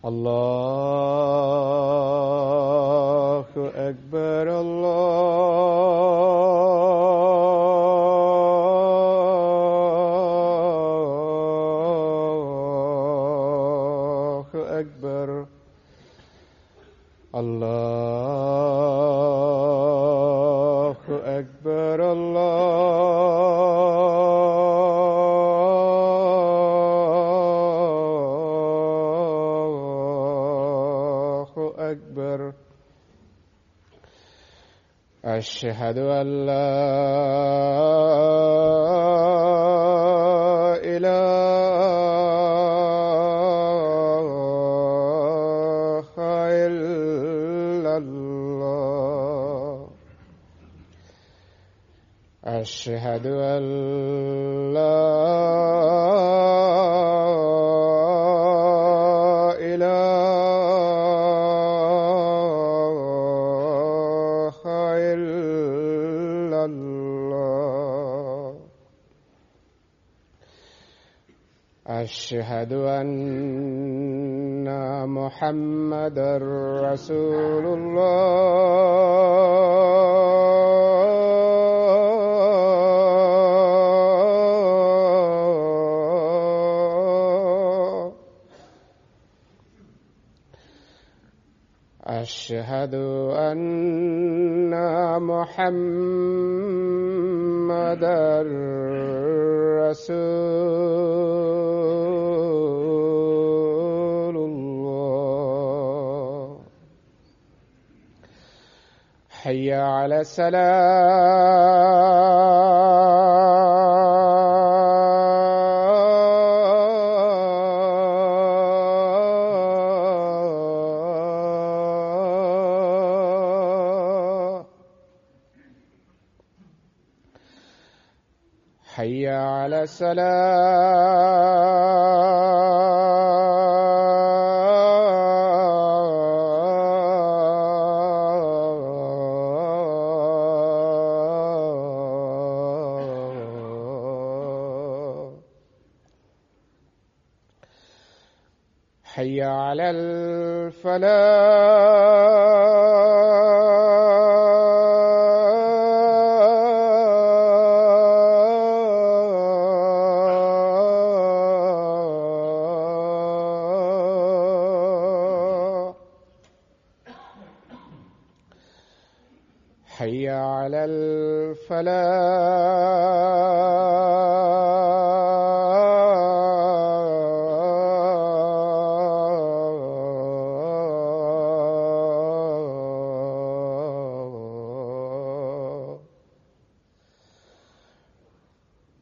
الله أكبر الله أكبر الله أكبر الله أكبر أشهد أن لا إله إلا الله أشهد أن لا إله إلا الله أشهد أن محمدا رسول الله أشهد أن محمدا رسول الله حي على السلام حي على السلام حي على الفلاح حي على الفلاح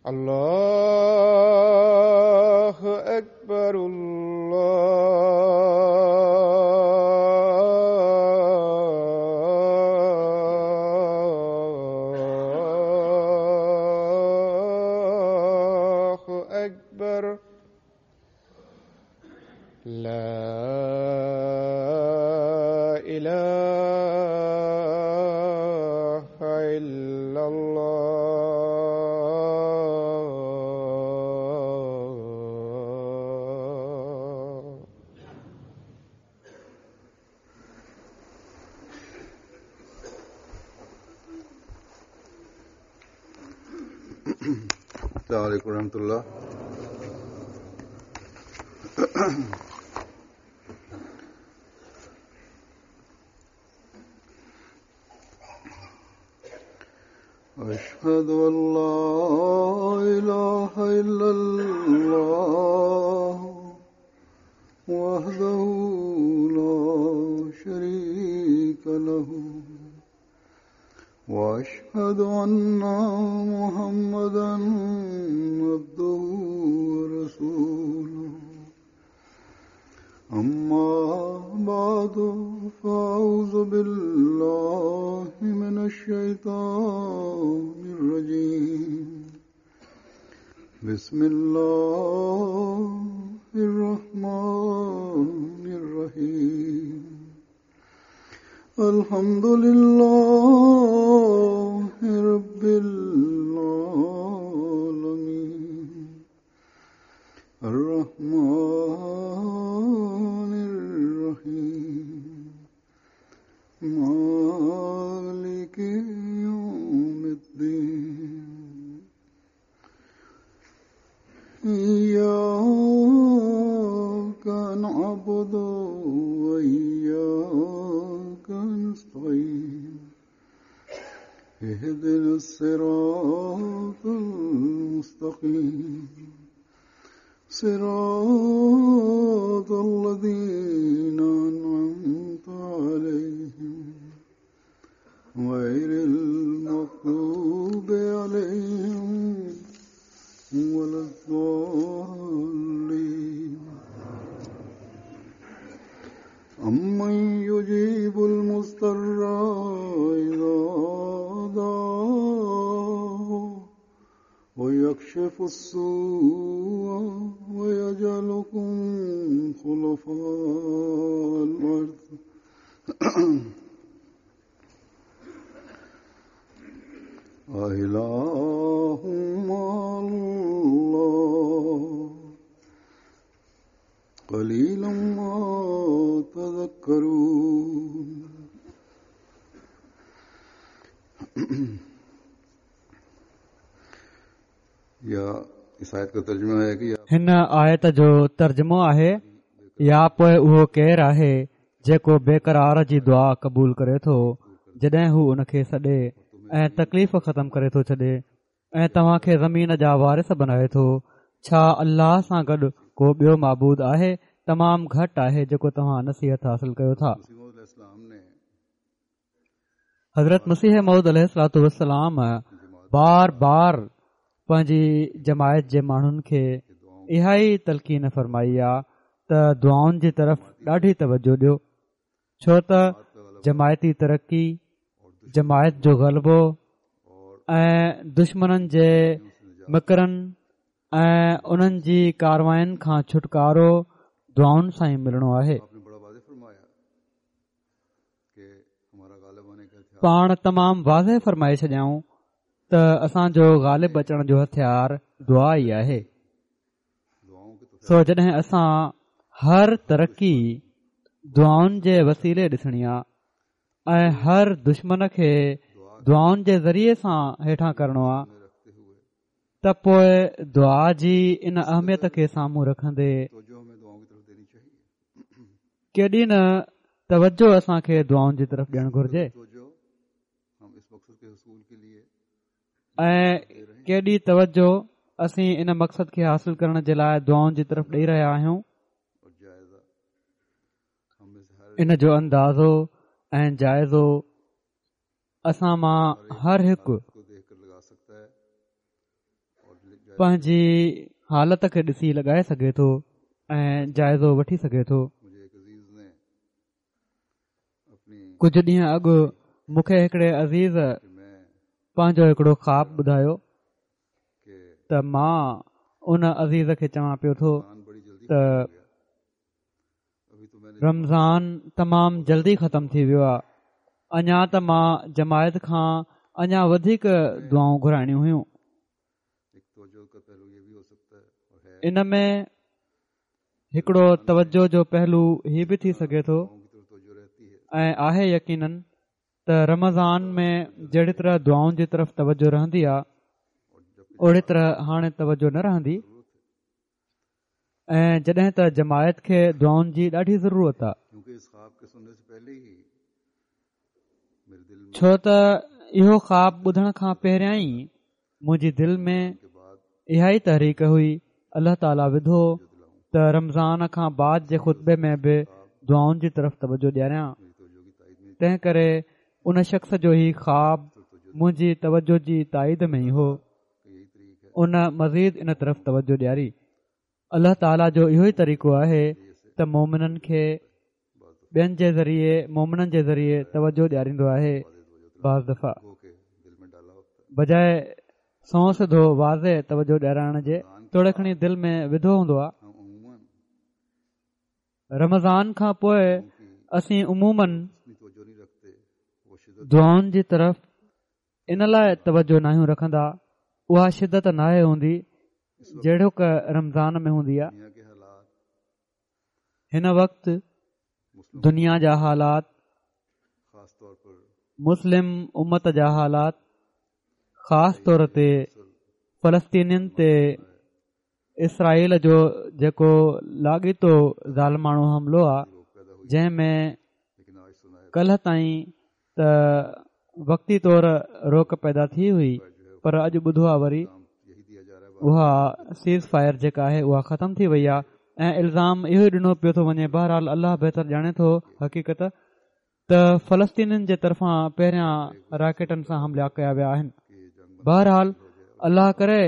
الله أكبر الله أكبر لا إله إلا الله. السلام عليكم ورحمة الله. أشهد أن لا إله إلا الله وحده لا شريك له وأشهد أن محمدا عبده ورسوله. أما بعد فأعوذ بالله من الشيطان الرجيم. بسم الله الرحمن الرحيم. الحمد لله رب العالمين الرحمن الرحيم إياك نعبد وإياك نستعين اهدنا الصراط المستقيم صراط الذين أنعمت عليهم غير المغضوب عليهم ولا الضالين أمن يجيب المضطر إذا دعاه ويكشف السوء ويجعلكم خلفاء الأرض أإله مع الله قليلا ما تذكرون या इस आयत का तर्जुमा है कि هن آيت جو ترجمو آهي يا پوء اهو ڪير آهي جيڪو بيقرار جي دعا قبول ڪري ٿو جڏهن هو ان کي سڏي ۽ تڪليف ختم ڪري ٿو ڇڏي ۽ توهان کي زمين جا وارث بنائي ٿو ڇا الله سان گڏ ڪو ٻيو معبود آهي تمام گهٽ آهي جيڪو توهان نصيحت حاصل ڪيو ٿا حضرت مسيح موعود عليه الصلوة والسلام بار بار پنهنجي جماعت جي ماڻهن کي اها ئي تلقين فرمائي آ ته دعائن جي طرف ڏاڍي توجه ڏيو ڇو ته جماعتي ترقي جماعت جو غلبو ۽ دشمنن جي مڪرن ۽ انهن جي ڪارواين کان ڇوٽڪارو دعائن سان ئي ملڻو آهي پاڻ تمام واضح فرمائي ڇڏيائون ته اسان جو غالب اچڻ جو هٿيار دعا ئي آهي سو جڏهن اسان هر ترقي دعائن جي وسيلي ڏسڻي آ ۽ هر دشمن کي دعائن جي ذريعي سان هيٺان ڪرڻو آ ته پوء دعا جي ان اهميت کي سامهون رکندي ڪيڏي نه توجه اسان کي دعائن جي طرف ڏيڻ گهرجي ۽ ڪيڏي توجه اسين ان مقصد کي حاصل ڪرڻ جي لاء دعائن جي طرف ڏئي رهيا آهيون ان جو اندازو ۽ جائزو اسان مان هر هڪ پنهنجي حالت کي ڏسي لڳائي سگهي ٿو ۽ جائزو وٺي سگهي ٿو. ڪجهه ڏينهن اڳ مون کي هڪڙي عزيز پنهنجو هڪڙو خواب ٻڌايو ته مان ان عزيز کي چوان پيو ٿو ته رمضان تمام جلدي ختم ٿي ويو آهي اڃا ته مان جماعت کان اڃا وڌيڪ دعائون گهرائڻيون هيون ان ۾ هڪڙو توجه جو پهلو هي به ٿي سگهي ٿو ۽ آهي يقينن ته رمضان ۾ جهڙي طرح دعائن جي طرف توجه رهندي آهي اهڙي طرح هاڻي توجه نه رهندي ۽ جڏهن ته جماعت کي دعائن جي ڏاڍي ضرورت آهي ڇو ته اهو خواب ٻڌڻ کان پهريان ئي منهنجي دل ۾ اها ئي تحريڪ هئي الله تعاليٰ وڌو ته رمضان کان بعد جي خطبي ۾ به دعائن جي طرف توجه ڏياريان تنهن ڪري ان شخص جو هي خواب منهنجي توجه جي تائيد ۾ ئي هو ان مزيد ان طرف توجه ڏياري. الله تعاليٰ جو اهو ئي طريقو آهي ته مومنن کي ٻين جي ذريعي مومنن جي ذريعي توجه ڏياريندو آهي بعض دفعا بجاء سنئون سڌو واضح توجه ڏيارائڻ جي توڙي کڻي دل ۾ وڌو هوندو آهي رمضان کان پوء اسين عموماً دعائن جي طرف ان لاء توجه ناهيون رکندا اها شدت ناهي هوندي جهڙوڪ رمضان ۾ هوندي آهي هن وقت دنيا جا حالات مسلم امت جا حالات خاص طور تي فلسطينين تي اسرائيل جو جيڪو لاڳيتو ظالماڻو حملو آ جنهن ۾ ڪلهه تائين ته وقتي طور روڪ پيدا ٿي هئي پر اڄ ٻڌو آ وري اها سيز فائر جيڪا آهي اها ختم ٿي وئي آ ۽ الزام اهو ئي ڏنو پيو ٿو وڃي بهرحال الله بهتر ڄاڻي ٿو حقيقت ته فلسطينين جي طرفان پهريان راڪيٽن سان حملا ڪيا ويا آهن بهرحال الله ڪري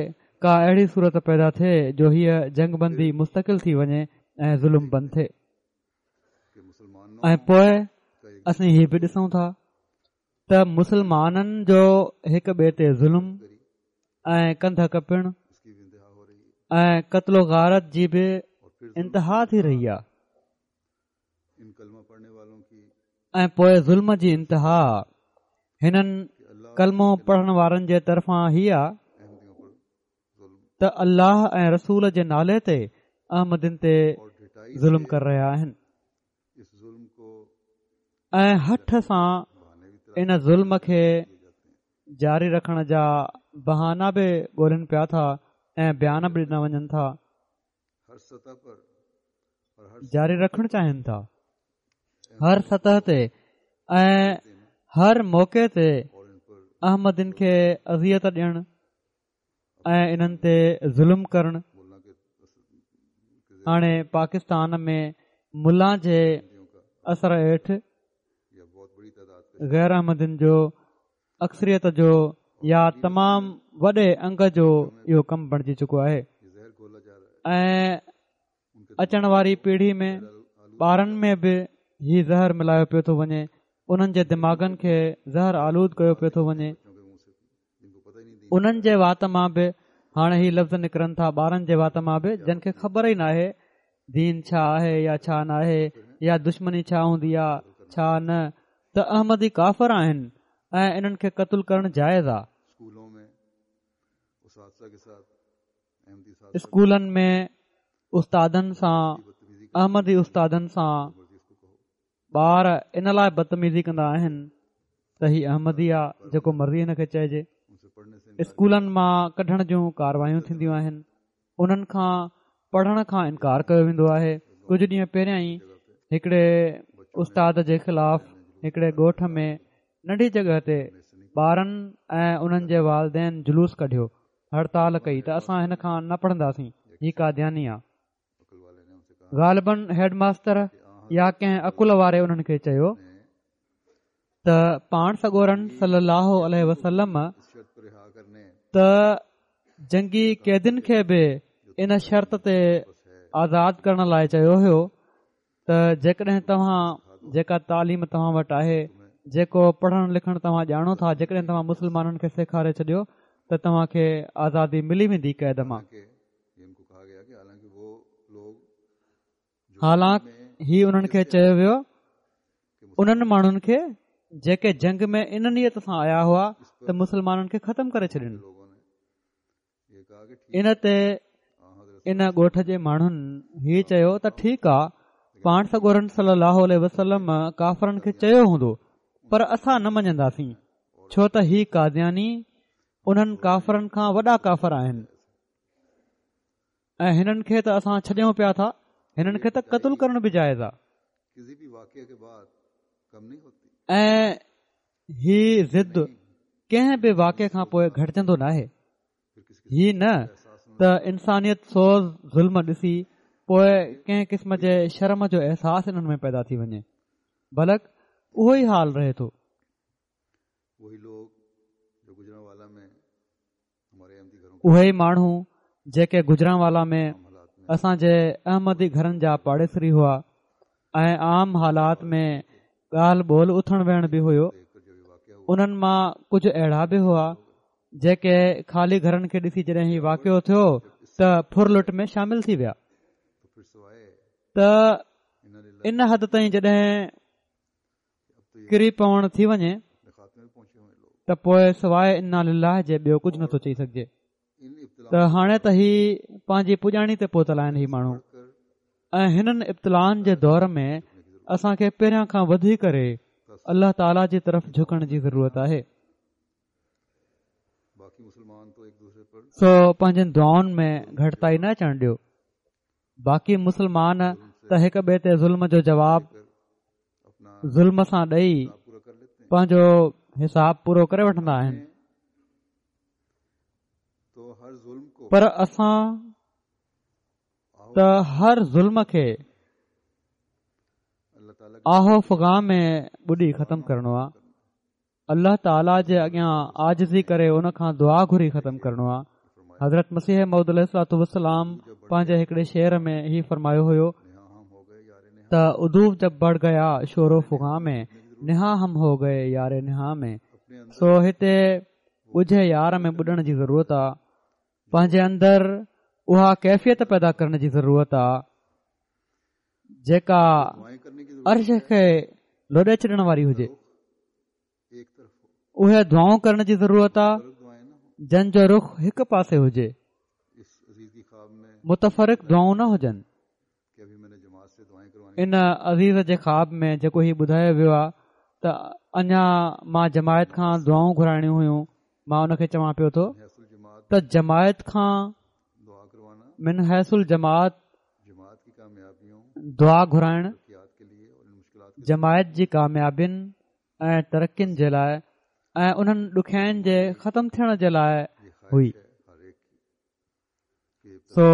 ڪا اهڙي صورت پيدا ٿئي جو هيء جنگ بندي مستقل ٿي وڃي ۽ ظلم بند ٿئي ۽ پوء اسين هي به ڏسون ٿا ته مسلمانن جو هڪ ٻئي تي ظلم ۽ ڪنڌ ڪپڻ ۽ قتل و غارت جي به انتها ٿي رهي آهي ۽ پوء ظلم جي انتها هنن ڪلمو پڙهڻ وارن جي طرفان هي آ ته الله ۽ رسول جي نالي تي احمدين تي ظلم ڪري رهيا آهن ۽ هٺ سان ان ظلم کي جاري رکڻ جا بهانا به ڳولين پيا ٿا ۽ بيان به ڏنا وڃن ٿا جاري رکڻ چاهين ٿا هر سطح تي ۽ هر موقعي تي احمدين کي اذيت ڏيڻ ۽ انهن تي ظلم ڪرڻ هاڻي پاڪستان ۾ ملا جي اثر هيٺ غير احمدين جو اڪثريت جو يا تمام وڏي انگ جو اهو ڪم بڻجي چڪو آهي ۽ اچڻ واري پيڙهي ۾ ٻارن ۾ به هي زهر ملايو پيو ٿو وڃي انهن جي دماغن کي زهر آلود ڪيو پيو ٿو وڃي انهن جي وات مان به هاڻي هي لفظ نڪرن ٿا ٻارن جي وات مان به جن کي خبر ئي ناهي دين ڇا آهي يا ڇا ناهي يا دشمني ڇا هوندي آ ڇا نه ته احمدي ڪافر آهن ۽ انهن کي قتل ڪرڻ جائز آ. اسڪولن ۾ استادن سان احمدي استادن سان ٻار ان لاء بدتميزي ڪندا آهن ته هي احمدي آ جيڪو مرضي هن کي چئجي. اسڪولن مان ڪڍڻ جون ڪاروايون ٿينديون آهن. انهن کان پڙهڻ کان انڪار ڪيو ويندو آهي. ڪجهه ڏينهن پهريان ئي هڪڙي استاد جي خلاف هڪڙي ڳوٺ ۾ ننڍي جڳهه تي ٻارن ۽ انهن جي والدين جلوس ڪڍيو، هڙتال ڪئي ته اسان هن کان نه پڙهنداسين، هي قادياني آ. غالباً هيڊ ماستر يا ڪنهن عقل واري انهن کي چيو ته پاڻ سڳورن صلي الله عليه وسلم ته جنگي قيدين کي به ان شرط تي آزاد ڪرڻ لاء چيو هيو ته جيڪڏهن توهان جيڪا تعليم توهان وٽ آهي جيڪو پڙهڻ لکڻ توهان ڄاڻو ٿا جيڪڏهن توهان مسلمانن کي سيکاري ڇڏيو ته توهان کي آزادي ملي ويندي قيد مان. حالانڪ هي انهن کي چيو ويو انهن ماڻهن کي جيڪي جنگ ۾ ان نيت سان آيا هئا ته مسلمانن کي ختم ڪري ڇڏين. ان تي ان ڳوٺ جي ماڻهن هي چيو ته ٺيڪ آ پاڻ سڳورن صلي الله عليه وسلم ڪافرن کي چيو هوندو پر اسان نه مڃنداسين ڇو ته هي قادياني انهن ڪافرن کان وڏا ڪافر آهن ۽ هنن کي ته اسان ڇڏيون پيا ٿا هنن کي ته قتل ڪرڻ به جائز آ ۽ هي ضد ڪنهن به واقعي کان پوء گهٽجندو ناهي. هي نه ته انسانيت سوز ظلم ڏسي پوء ڪنهن قسم جي شرم جو احساس انهن ۾ پيدا ٿي وڃي بلڪ اهو ئي حال رهي ٿو. اهي ئي ماڻهو جيڪي گجرانوالا ۾ اسان جي احمدي گهرن جا پاڙيسري هئا ۽ عام حالات ۾ ڳالهه ٻولهه اٿڻ ويهڻ به هيو انهن مان ڪجهه اهڙا به هئا جيڪي خالي گهرن کي ڏسي جڏهن هي واقعو ٿيو ته ڦرلٽ ۾ شامل ٿي ويا ته ان حد تائين جڏهن ڪري پوڻ ٿي وڃي ته پوء سواء انا لله جي ٻيو ڪجهه نٿو چئي سگهجي ته هاڻي ته هي پنهنجي پڄاڻي تي پهتل آهن هي ماڻهو ۽ هنن ابتلائن جي دور ۾ اسان کي پهريان کان وڌي ڪري الله تعالي جي طرف جهڪڻ جي ضرورت آهي. سو پنهنجين دعائن ۾ گهٽتائي نه اچڻ ڏيو. باقي مسلمان ته هڪ ٻئي تي ظلم جو جواب ظلم سان ڏئي پنهنجو حساب پورو ڪري وٺندا آهن پر اسان ته هر ظلم کي آه و فغان ۾ ٻڏي ختم ڪرڻو آهي الله تعاليٰ جي اڳيان عاجزي ڪري ان کان دعا گهري ختم ڪرڻو آهي حضرت مسيح موعود عليه الصلوة والسلام پنهنجي هڪڙي شعر ۾ هي فرمايو هيو ته عدو جب بڙه گيا شور و فغان ۾ نهان هم هو گئي يار نهان ۾ سو هتي ڳجهي يار ۾ ٻڏڻ جي ضرورت آ پنهنجي اندر اها ڪيفيت پيدا ڪرڻ جي ضرورت آ جيڪا عرش کي لوڏي ڇڏڻ واري هجي اهي دعائون ڪرڻ جي ضرورت آ جن جو رخ هڪ پاسي هجي متفرق دعائون نه هجن ان عزيز جي خواب ۾ جيڪو هي ٻڌايو ويو آ ته اڃا مان جماعت کان دعائون گهرائڻيون هيون مان ان کي چوان پيو ٿو ته جماعت کان من حيث الجماعت دعا گهرائڻ جماعت جي ڪاميابين ۽ ترقين جي لاء ۽ انهن ڏکيائين جي ختم ٿيڻ جي لاء هئي سو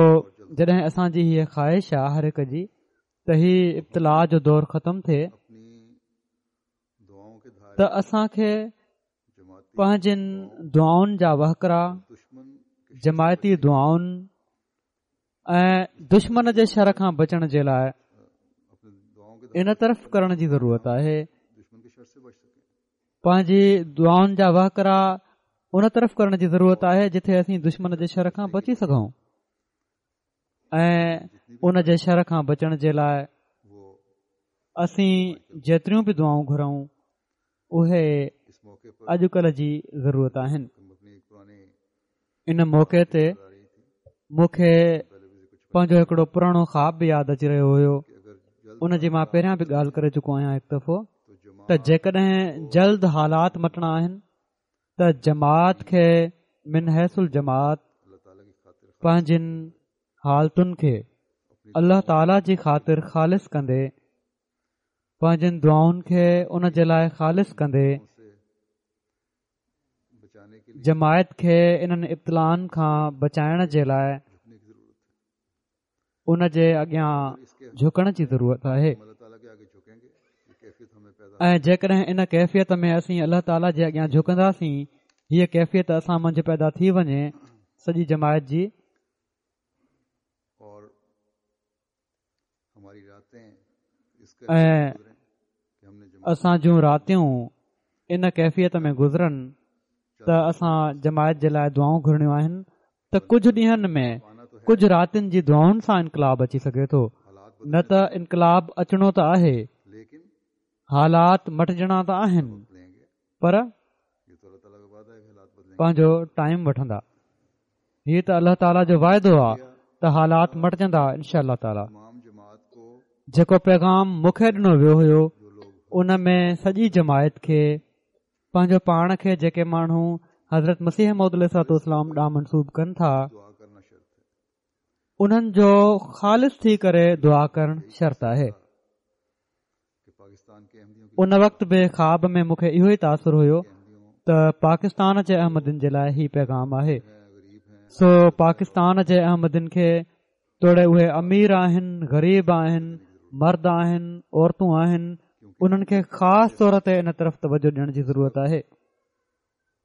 جڏهن اسان جي هيء خواهش آ هر هڪ جي ته هي ابتلاء جو دور ختم ٿئي ته اسان کي پنهنجين دعائن جا وهڪرا جماعتي دعائن ۽ دشمن جي شر کان بچڻ جي لاء ان طرف ڪرڻ جي ضرورت آهي پنهنجي دعائن جا وهڪرا ان طرف ڪرڻ جي ضرورت آهي جتي اسين دشمن جي شر کان بچي سگهون ۽ ان جي شر کان بچڻ جي لاء اسين جيتريون به دعائون گهرون اهي اڄڪلهه جي ضرورت آهن ان موقعي تي مون کي پنهنجو هڪڙو پراڻو خواب به ياد اچي رهيو هيو ان جي مان پهريان به ڳالهه ڪري چڪو آهيان هڪ دفعو ته جيڪڏهن جلد حالات مٽڻا آهن ته جماعت کي من حيث الجماعت پنهنجين حالتن کي الله تعاليٰ جي خاطر خالص ڪندي پنهنجين دعائن کي ان جي لاء خالص ڪندي جماعت کي انهن ابتلائن کان بچائڻ جي لاء ان جي اڳيان جهڪڻ جي ضرورت آهي ۽ جيڪڏهن ان ڪيفيت ۾ اسين الله تعاليٰ جي اڳيان جهڪنداسين هيء ڪيفيت اسان منجهه پيدا ٿي وڃي سڄي جماعت جي ۽ اسان جون راتيون ان ڪيفيت ۾ گذرن ته اسان جماعت جي لاء دعائون گهرڻيون آهن ته ڪجهه ڏينهن ۾ ڪجهه راتين جي دعائن سان انقلاب اچي سگهي ٿو نه ته انقلاب اچڻو ته آهي حالات مٽجڻا ته آهن پر پنهنجو ٽائيم وٺندا هي ته الله تعاليٰ جو واعدو آهي ته حالات مٽجندا انشاء الله تعاليٰ جيڪو پيغام مون کي ڏنو ويو هيو ان ۾ سڄي جماعت کي پنهنجو پاڻ کي جيڪي ماڻهو حضرت مسيح موعود عليه الصلوة والسلام ڏانهن منسوب ڪن ٿا انهن جو خالص ٿي ڪري دعا ڪرڻ شرط آهي ان وقت به خواب ۾ مون کي اهو ئي تاثر هيو ته پاڪستان جي احمدين جي لاء هي پيغام آهي سو پاڪستان جي احمدين کي توڙي اهي امير آهن غريب آهن مرد آهن عورتون آهن انهن کي خاص طور تي ان طرف توجه ڏيڻ جي ضرورت آهي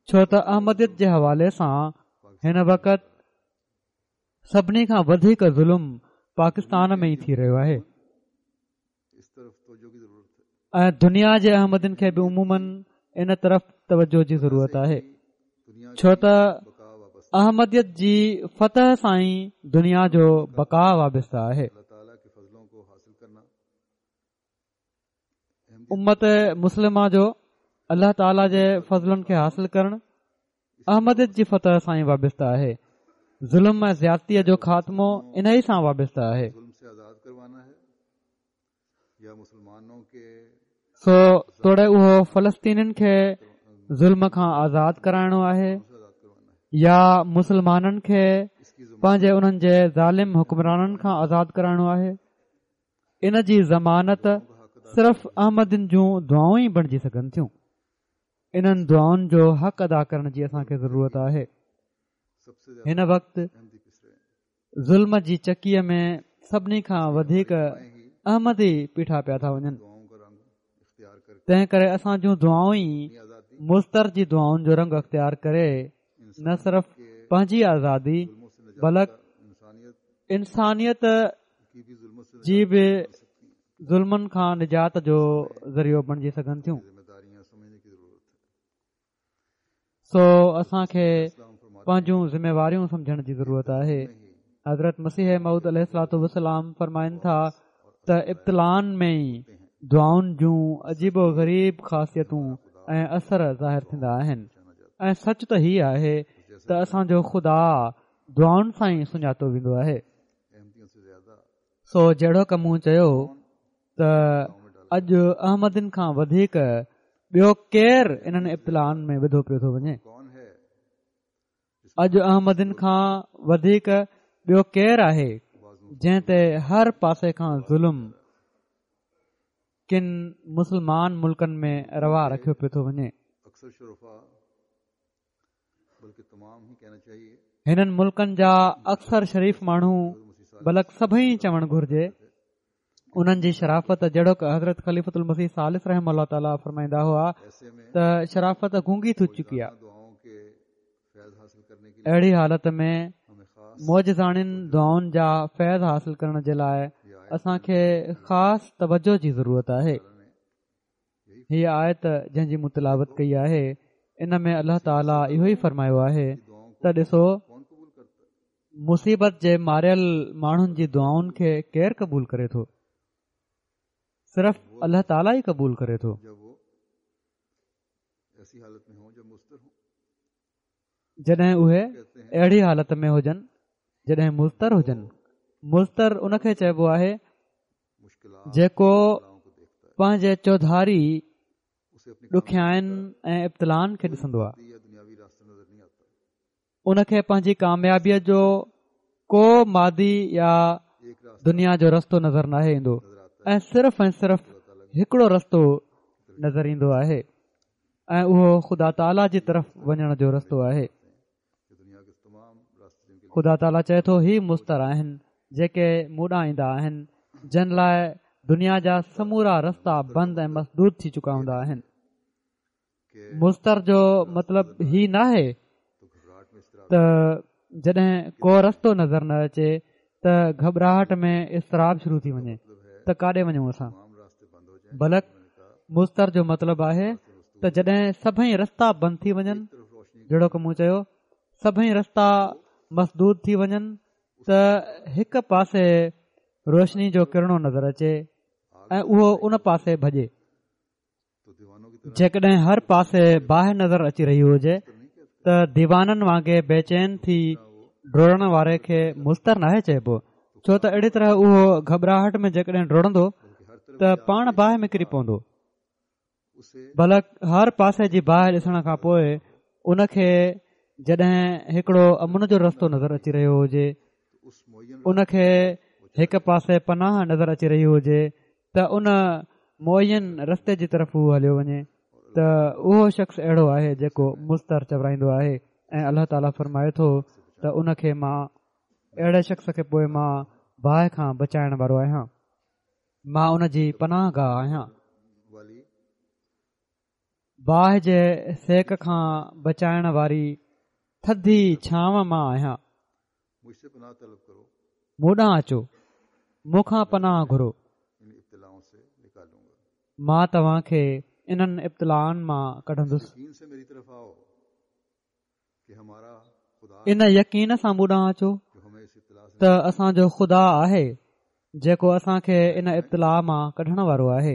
ڇو ته احمديت جي حوالي سان هن وقت سڀني کان وڌيڪ ظلم پاڪستان ۾ ئي ٿي رهيو آهي ۽ دنيا جي احمدين کي به عموماً ان طرف توجه جي ضرورت آهي ڇو ته احمديت جي فتح سان ئي دنيا جو بقا وابسته آهي امت مسلمه جو الله تعاليٰ جي فضلن کي حاصل ڪرڻ احمديت جي فتح سان ئي وابسته آهي ظلم ۽ زيادتيء جو خاتمو انهي سان وابسته آهي سو توڙي اهو فلسطينين کي ظلم کان آزاد ڪرائڻو آهي. يا مسلمانن کي پنهنجي انهن جي ظالم حڪمرانن کان آزاد ڪرائڻو آهي؟ ان جي ضمانت صرف احمدين جون دعائون ئي بڻجي سگهن ٿيون. انهن دعائن جو حق ادا ڪرڻ جي اسان کي ضرورت آهي. هن وقت ظلم جي چڪيء ۾ سڀني کان وڌيڪ احمدي پيٺا پيا ٿا وڃن تنهن ڪري اسان جون دعائون ئي مضطر جي دعائن جو رنگ اختيار ڪري نه صرف پنهنجي آزادي بلڪ انسانيت جي به ظلمن کان نجات جو ذريعو بڻجي سگهن ٿيون سو اسان کي پنهنجون ذميواريون سمجهڻ جي ضرورت آهي. حضرت مسيح موعود عليه الصلوة والسلام فرمائن ٿا ته ابتلائن ۾ ئي دعائن جون عجيب و غريب خاصيتون ۽ اثر ظاهر ٿيندا آهن ۽ سچ ته هي آهي ته اسان جو خدا دعائن سان ئي سڃاتو ويندو آهي. سو جهڙوڪ مون چيو ته اڄ احمدين کان وڌيڪ ٻيو ڪير انهن ابتلائن ۾ وڌو پيو ٿو وڃي؟ اڄ احمدين کان وڌيڪ ٻيو ڪير آهي جنهن تي هر پاسي کان ظلم ڪن مسلمان ملڪن ۾ روا رکيو پيو ٿو وڃي. هنن ملڪن جا اڪثر شريف ماڻهو بلڪ سڀئي چوڻ گهرجي انهن جي شرافت جهڙوڪ حضرت خليفت المسيح ثالث رحمه الله تعاليٰ فرمائيندا هئا ته شرافت گونگي ٿي چڪي آهي اهڙي حالت ۾ معجزاڻين دعائن جا فيض حاصل ڪرڻ جي لاء اسان کي خاص توجه جي ضرورت آهي هيء آيت جنهن جي مون تلاوت ڪئي آهي ان ۾ الله تعاليٰ اهو ئي فرمايو آهي ته ڏسو مصيبت جي ماريل ماڻهن جي دعائن کي ڪير قبول ڪري ٿو صرف الله تعاليٰ ئي قبول ڪري ٿو جڏهن اهي اهڙي حالت ۾ هجن جڏهن مضطر هجن مضطر ان کي چئبو آهي جيڪو پنهنجي چوڌاري ڏکيائين ۽ ابتلائن کي ڏسندو آهي ان کي پنهنجي ڪاميابيء جو ڪو مادي يا دنيا جو رستو نظر ناهي ايندو ۽ صرف ۽ صرف هڪڙو رستو نظر ايندو آهي ۽ اهو خدا تعاليٰ جي طرف وڃڻ جو رستو آهي خدا تعاليٰ چئي ٿو هي مضطر آهن جيڪي مون ڏانهن ايندا آهن جن لاء دنيا جا سمورا رستا بند ۽ مسدود ٿي چڪا هوندا آهن مضطر جو مطلب هي ناهي ته جڏهن ڪو رستو نظر نه اچي ته گهٻراهٽ ۾ اضطراب شروع ٿي وڃي ته ڪاڏي وڃون اسان بلڪ مضطر جو مطلب آهي ته جڏهن سڀئي رستا بند ٿي وڃن جهڙوڪ مون چيو سڀئي رستا مسدود ٿي وڃن ته هڪ پاسي روشني جو ڪرڻو نظر اچي ۽ اهو ان پاسي ڀڄي جيڪڏهن هر پاسي باهه نظر اچي رهي هجي ته ديوانن وانگي بيچين ٿي ڊوڙڻ واري کي مضطر ناهي چئبو ڇو ته اهڙي طرح اهو گهٻراهٽ ۾ جيڪڏهن ڊوڙندو ته پاڻ باهه ۾ ڪري پوندو بلڪ هر پاسي جي باهه ڏسڻ کان پوء ان کي جڏهن هڪڙو امن جو رستو نظر اچي رهيو هجي ان کي هڪ پاسي پناهه نظر اچي رهي هجي ته ان معين رستي جي طرف هو هليو وڃي ته اهو شخص اهڙو آهي جيڪو مضطر چورائيندو آهي ۽ الله تعاليٰ فرمائي ٿو ته ان کي مان اهڙي شخص کي پوء مان باهه کان بچائڻ وارو آهيان مان ان جي پناهه گاهه آهيان باهه جي سيڪ کان بچائڻ واري ٿڌي ڇانو مان آهيان مون ڏانهن اچو مون کان پناهه گهرو مان توهان کي انهن ابتلائن مان ڪڍندس ان يقين سان مون ڏانهن اچو ته اسان جو خدا آهي جيڪو اسان کي ان ابتلاء مان ڪڍڻ وارو آهي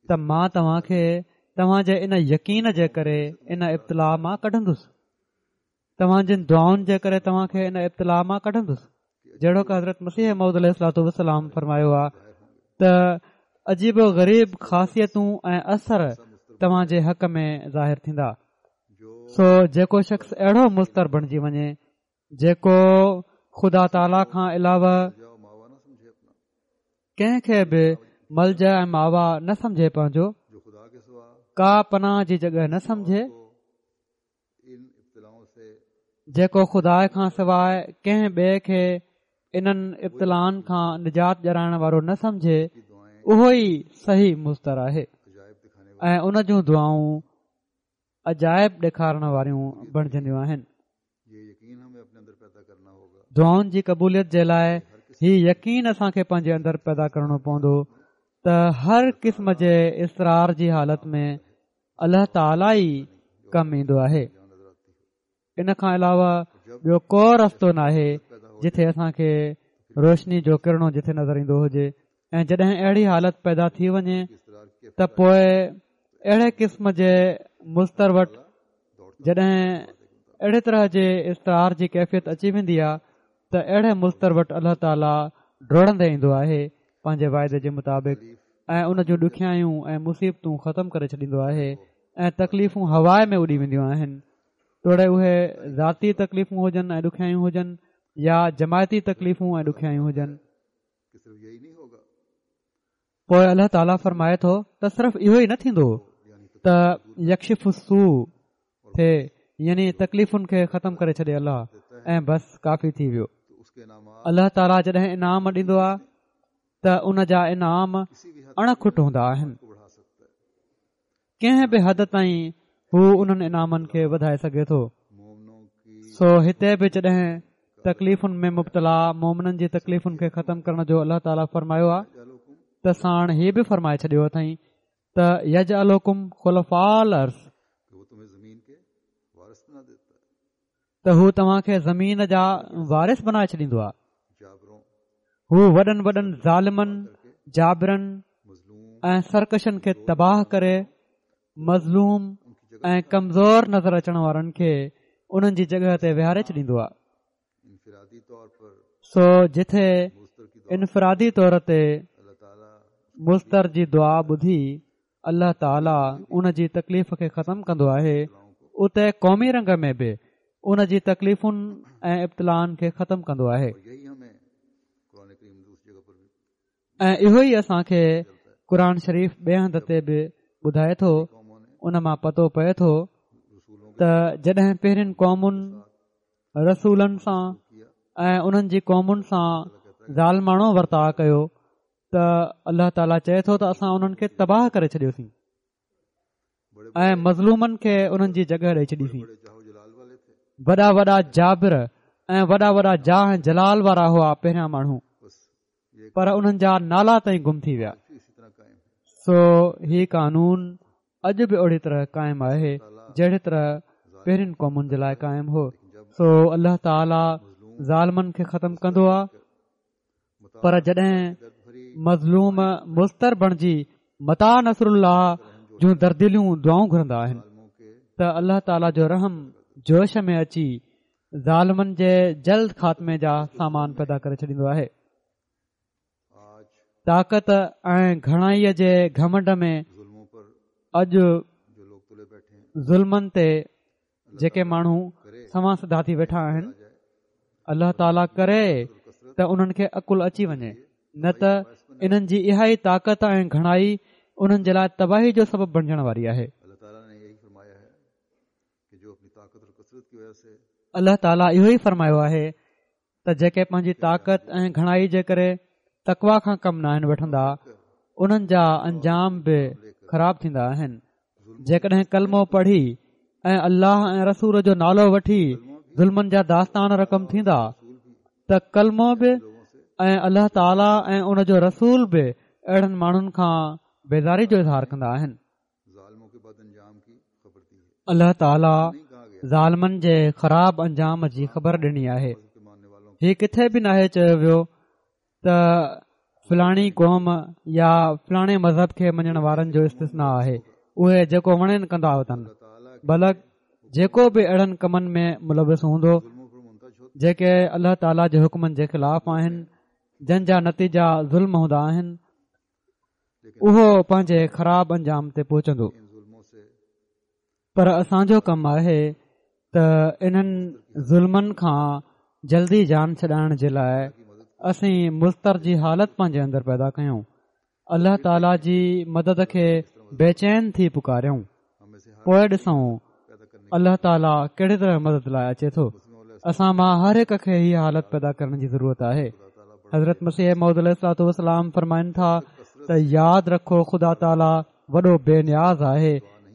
ته مان توهان کي توهان جي ان يقين جي ڪري ان ابتلاء مان ڪڍندس توهان جن دعائن جي ڪري توهان کي ان ابتلاء مان ڪڍندس جهڙوڪ حضرت مسيح موعود عليه الصلوة والسلام فرمايو آهي ته عجيب و غريب خاصيتون ۽ اثر توهان جي حق ۾ ظاهر ٿيندا. سو جيڪو شخص اهڙو مضطر بڻجي وڃي جيڪو خدا تعاليٰ کان علاوه ڪنهن کي به ملجا ۽ ماوا نه سمجهي پنهنجو ڪا پناهه جي جڳهه نه سمجهي جيڪو خدا کان سواء ڪنهن ٻئي کي انهن ابتلائن کان نجات ڏيارائڻ وارو نه سمجهي اهو ئي صحيح مضطر آهي ۽ ان جون دعائون عجائب ڏيکارڻ واريون بڻجنديون آهن. دعائن جي قبوليت جي لاء هي يقين اسان کي پنهنجي اندر پيدا ڪرڻو پوندو ته هر قسم جي اضطرار جي حالت ۾ الله تعاليٰ ئي ڪم ايندو آهي. ان کان علاوه ٻيو ڪو رستو ناهي جتي اسان کي روشني جو ڪرڻو جتي نظر ايندو هجي ۽ جڏهن اهڙي حالت پيدا ٿي وڃي ته پوء اهڙي قسم جي مضطر وٽ جڏهن اهڙي طرح جي اضطرار جي ڪيفيت اچي ويندي آهي ته اهڙي مضطر وٽ الله تعاليٰ ڊوڙندي ايندو آهي پنهنجي واعدي جي مطابق ۽ ان جون ڏکيائيون ۽ مصيبتون ختم ڪري ڇڏيندو آهي ۽ تڪليفون هوا ۾ اڏي وينديون آهن توڙي اهي ذاتي تڪليفون هجن ۽ ڏکيائيون هجن يا جماعتي تڪليفون ۽ ڏکيائيون هجن. پوء الله تعاليٰ فرمائي ٿو ته صرف اهو ئي نه ٿيندو ته يڪشف السوء ٿئي يعني تڪليفن کي ختم ڪري ڇڏي الله ۽ بس ڪافي ٿي ويو. الله تعاليٰ جڏهن انعام ڏيندو آهي ته ان جا انعام اڻ کٽ هوندا آهن. ڪنهن به حد تائين هو انهن انعامن کي وڌائي سگهي ٿو. سو هتي به جڏهن تڪليفن ۾ مبتلا مومنن جي تڪليفن کي ختم ڪرڻ جو الله تعاليٰ فرمايو آهي ته ساڻ هي به فرمائي ڇڏيو اٿائين ته يجعلڪم خلفاء الارض ته هو توهان کي زمين جا وارث بنائي ڇڏيندو آهي. هو وڏن وڏن ظالمن، جابرن ۽ سرڪشن کي تباهه ڪري مظلوم ۽ ڪمزور نظر اچڻ وارن کي انهن جي جڳهه تي ويهاري ڇڏيندو آهي. سو جٿي انفرادي طور تي مضطر جي دعا ٻڌي الله تعاليٰ ان جي تڪليف کي ختم ڪندو آهي اتي قومي رنگ ۾ به ان جي تڪليفن ۽ ابتلائن کي ختم ڪندو آهي ۽ اهو ئي اسان کي قرآن شريف ٻئي هنڌ تي به ٻڌائي ٿو ان مان پتو پئي ٿو ته جڏهن پهرين قومن رسولن سان ۽ انهن جي قومن سان ظالماڻو ورتاء ڪيو ته الله تعاليٰ چئي ٿو ته اسان انهن کي تباهه ڪري ڇڏيوسين ۽ مظلومن کي انهن جي جڳهه ڏئي ڇڏيسين وڏا وڏا جابر ۽ وڏا وڏا جاهه ۽ جلال وارا هئا پهريان ماڻهو پر انهن جا نالا تائين گم ٿي ويا سو هي قانون اڄ به اهڙي طرح قائم آهي جهڙي طرح پهرين قومن جي لاء قائم هو سو الله تعاليٰ ظالمن کي ختم ڪندو آهي پر جڏهن مظلوم مضطر بڻجي متيٰ نصر الله جون درديليون دعائون گهرندا آهن ته الله تعاليٰ جو رحم جوش ۾ اچي ظالمن جي جلد خاتمي جا سامان پيدا ڪري ڇڏيندو آهي طاقت ۽ گهڻائي جي گهمنڊ ۾ اڄ ظلمن تي جيڪي ماڻهو سنوان سڌا ٿي ويٺا آهن الله تعاليٰ ڪري ته انهن کي عقل اچي وڃي نه ته انهن جي اها ئي طاقت ۽ گهڻائي انهن جي لاء تباهي جو سبب بڻجڻ واري آهي الله تعاليٰ اهو ئي فرمايو آهي ته جيڪي پنهنجي طاقت ۽ گهڻائي جي ڪري تقويٰ کان ڪم ناهن وٺندا انهن جا انجام به خراب ٿيندا آهن جيڪڏهن ڪلمو پڙهي ۽ الله ۽ رسول جو نالو وٺي ظلمن جا داستان رقم ٿيندا ته ڪلمو به ۽ الله تعاليٰ ۽ ان جو رسول به اهڙن ماڻهن کان بيزاري جو اظهار ڪندا آهن الله تعاليٰ ظالمن جي خراب انجام جي خبر ڏني آهي هي ڪٿي به ناهي چيو ويو ته فلاڻي قوم يا فلاڻي مذهب کي مڃڻ وارن جو استثنا آهي اهي جيڪو وڻين ڪندا وتن بلڪ جيڪو به اهڙن ڪمن ۾ ملوث هوندو جيڪي الله تعاليٰ جي حڪمن جي خلاف آهن جن جا نتيجا ظلم هوندا آهن اهو پنهنجي خراب انجام تي پهچندو. پر اسان جو ڪم آهي ته انهن ظلمن کان جلدي جان ڇڏائڻ جي لاء اسين مضطر جي حالت پنهنجي اندر پيدا ڪيون، الله تعاليٰ جي مدد کي بيچين ٿي پڪاريون، پوء ڏسون الله تعاليٰ ڪهڙي طرح مدد لاء اچي ٿو. اسان مان هر هڪ کي هي حالت پيدا ڪرڻ جي ضرورت آهي. حضرت مسيح موعود عليه الصلوة والسلام فرمائن ٿا ته ياد رکو خدا تعاليٰ وڏو بي نياز آهي،